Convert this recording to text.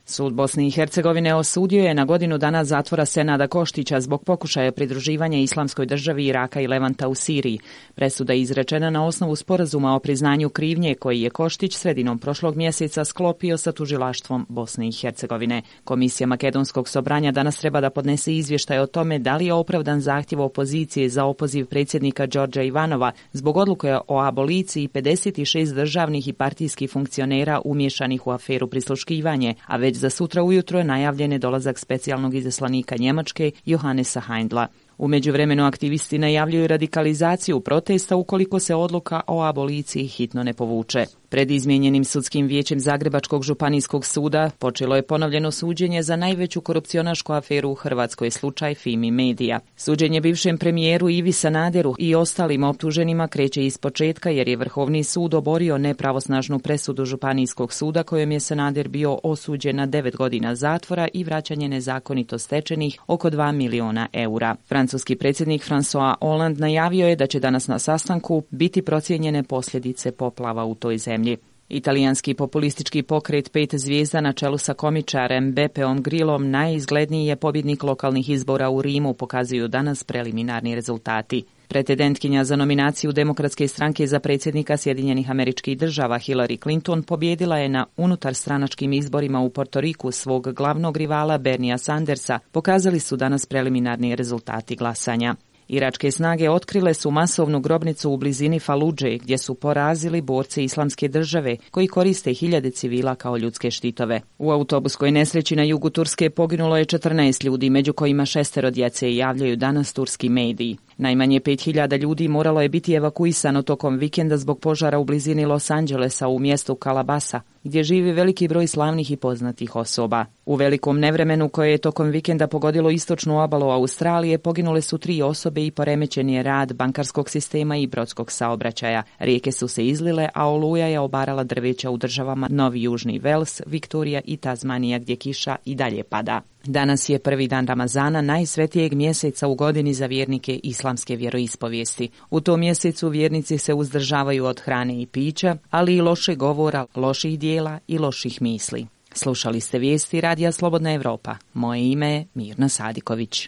Sud Bosne i Hercegovine osudio je na godinu dana zatvora Senada Koštića zbog pokušaja pridruživanja Islamskoj državi Iraka i Levanta u Siriji. Presuda je izrečena na osnovu sporazuma o priznanju krivnje koji je Koštić sredinom prošlog mjeseca sklopio sa tužilaštvom Bosne i Hercegovine. Komisija Makedonskog sobranja danas treba da podnese izvještaj o tome da li je opravdan zahtjev opozicije za opoziv predsjednika Đorđa Ivanova zbog odluke o aboliciji 56 državnih i partijskih funkcionera umješanih u aferu prisluškivanje, a već za sutra ujutro je najavljen je dolazak specijalnog izaslanika Njemačke Johannesa Heindla. U međuvremenu aktivisti najavljuju radikalizaciju protesta ukoliko se odluka o aboliciji hitno ne povuče. Pred izmijenjenim sudskim vijećem Zagrebačkog županijskog suda počelo je ponovljeno suđenje za najveću korupcionašku aferu u Hrvatskoj, slučaj Fimi Media. Suđenje bivšem premijeru Ivi Sanaderu i ostalim optuženima kreće iz početka jer je Vrhovni sud oborio nepravosnažnu presudu Županijskog suda kojom je Sanader bio osuđen na 9 godina zatvora i vraćanje nezakonito stečenih oko 2 miliona eura. Francuski predsjednik François Hollande najavio je da će danas na sastanku biti procijenjene posljedice poplava u toj zemlji. Italijanski populistički pokret 5 zvijezda na čelu sa komičarem Bepeom Grillom najizgledniji je pobjednik lokalnih izbora u Rimu, pokazuju danas preliminarni rezultati. Pretendentkinja za nominaciju Demokratske stranke za predsjednika Sjedinjenih Američkih Država Hillary Clinton pobjedila je na unutarstranačkim izborima u Porto Riku svog glavnog rivala Bernia Sandersa, pokazali su danas preliminarni rezultati glasanja. Iračke snage otkrile su masovnu grobnicu u blizini Faludže, gdje su porazili borce Islamske države, koji koriste hiljade civila kao ljudske štitove. U autobuskoj nesreći na jugu Turske poginulo je 14 ljudi, među kojima 6 djece, javljaju danas turski mediji. Najmanje 5000 ljudi moralo je biti evakuisano tokom vikenda zbog požara u blizini Los Angelesa u mjestu Calabasa, gdje živi veliki broj slavnih i poznatih osoba. U velikom nevremenu koje je tokom vikenda pogodilo istočnu obalu Australije poginule su 3 osobe i poremećen je rad bankarskog sistema i brodskog saobraćaja. Rijeke su se izlile, a oluja je obarala drveća u državama Novi Južni Vels, Viktorija i Tazmanija gdje kiša i dalje pada. Danas je prvi dan Ramazana, najsvetijeg mjeseca u godini za vjernike islamske vjeroispovijesti. U tom mjesecu vjernici se uzdržavaju od hrane i pića, ali i lošeg govora, loših dijela i loših misli. Slušali ste vijesti Radija Slobodna Evropa. Moje ime je Mirna Sadiković.